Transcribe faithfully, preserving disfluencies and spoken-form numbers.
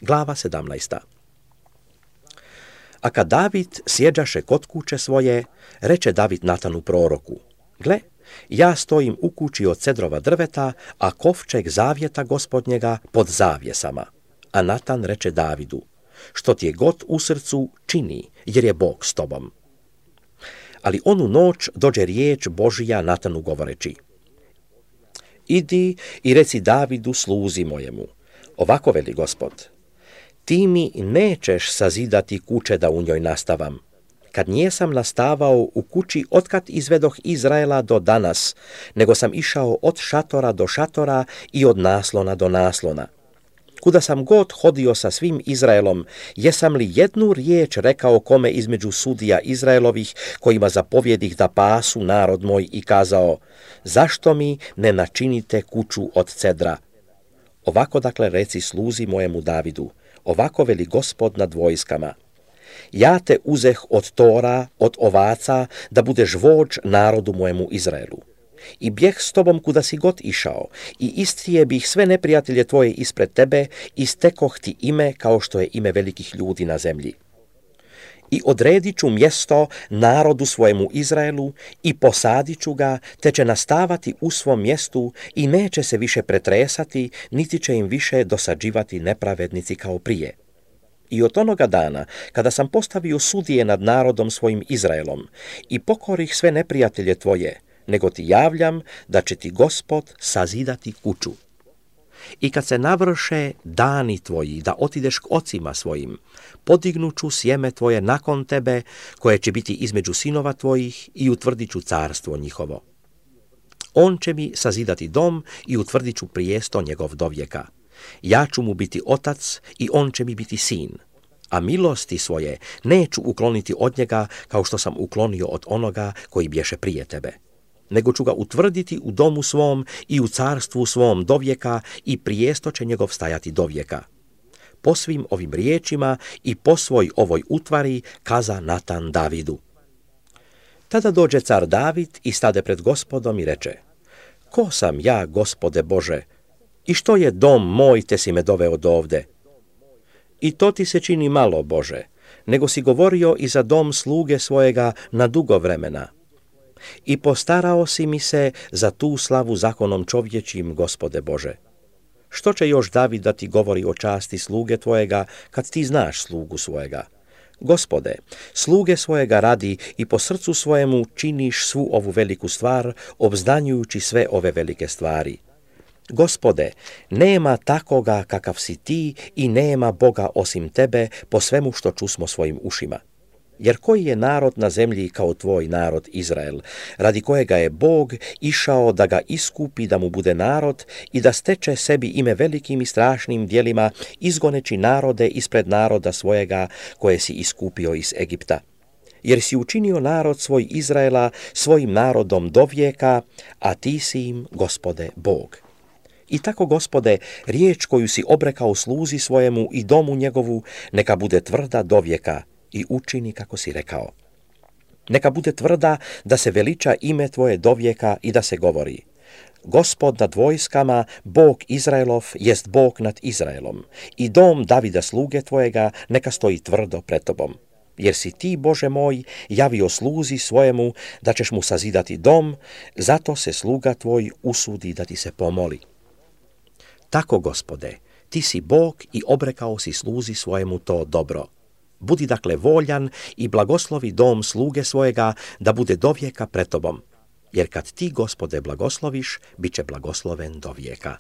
Glava sedamnaesta. A kad David sjeđaše kod kuće svoje, reče David Natanu proroku: gle, ja stojim u kući od cedrova drveta, a kovčeg zavjeta gospodnjega pod zavjesama. A Natan reče Davidu: što ti je god u srcu, čini, jer je Bog s tobom. Ali onu noć dođe riječ Božija Natanu govoreći: idi i reci Davidu sluzi mojemu, ovako veli Gospod, ti mi nećeš sazidati kuće da u njoj nastavam, kad njesam nastavao u kući otkad izvedoh Izraela do danas, nego sam išao od šatora do šatora i od naslona do naslona. Kuda sam god hodio sa svim Izraelom, jesam li jednu riječ rekao kome između sudija Izraelovih, kojima zapovjedih da pasu narod moj, i kazao: zašto mi ne načinite kuću od cedra? Ovako dakle reci sluzi mojemu Davidu, ovako veli Gospod nad vojskama: ja te uzeh od tora, od ovaca, da budeš vođ narodu mojemu Izraelu. I bjeh s tobom kuda si god išao, i istrije bih sve neprijatelje tvoje ispred tebe, i stekoh ti ime kao što je ime velikih ljudi na zemlji. I odredit ću mjesto narodu svojemu Izraelu i posadit ću ga, te će nastavati u svom mjestu i neće se više pretresati, niti će im više dosađivati nepravednici kao prije. I od onoga dana, kada sam postavio sudije nad narodom svojim Izraelom i pokorih sve neprijatelje tvoje, nego ti javljam da će ti Gospod sazidati kuću. I kad se navrše dani tvoji da otideš k ocima svojim, podignuću sjeme tvoje nakon tebe, koje će biti između sinova tvojih, i utvrdit ću carstvo njihovo. On će mi sazidati dom i utvrdit ću prijesto njegov dovijeka. Ja ću mu biti otac i on će mi biti sin. A milosti svoje neću ukloniti od njega kao što sam uklonio od onoga koji bješe prije tebe, nego ću ga utvrditi u domu svom i u carstvu svom dovijeka, i prijesto će njegov stajati dovijeka. Po svim ovim riječima i po svoj ovoj utvari kaza Natan Davidu. Tada dođe car David i stade pred Gospodom i reče: ko sam ja, Gospode Bože, i što je dom moj te si me doveo dovde? I to ti se čini malo, Bože, nego si govorio i za dom sluge svojega na dugo vremena. I postarao si mi se za tu slavu zakonom čovječim, Gospode Bože. Što će još David da ti govori o časti sluge tvojega, kad ti znaš slugu svojega? Gospode, sluge svojega radi i po srcu svojemu činiš svu ovu veliku stvar, obznanjujući sve ove velike stvari. Gospode, nema takoga kakav si ti i nema Boga osim tebe, po svemu što čusmo svojim ušima. Jer koji je narod na zemlji kao tvoj narod Izrael, radi kojega je Bog išao da ga iskupi, da mu bude narod i da steče sebi ime velikim i strašnim djelima, izgoneći narode ispred naroda svojega koje si iskupio iz Egipta. Jer si učinio narod svoj Izraela svojim narodom dovijeka, a ti si im, Gospode, Bog. I tako, Gospode, riječ koju si obrekao sluzi svojemu i domu njegovu, neka bude tvrda dovijeka, i učini kako si rekao. Neka bude tvrda da se veliča ime tvoje dovijeka i da se govori: Gospod nad vojskama, Bog Izraelov, jest Bog nad Izraelom, i dom Davida sluge tvojega neka stoji tvrdo pred tobom. Jer si ti, Bože moj, javio sluzi svojemu da ćeš mu sazidati dom, zato se sluga tvoj usudi da ti se pomoli. Tako, Gospode, ti si Bog i obrekao si sluzi svojemu to dobro. Budi dakle voljan i blagoslovi dom sluge svojega da bude dovijeka pred tobom. Jer kad ti, Gospode, blagosloviš, bit će blagosloven dovijeka.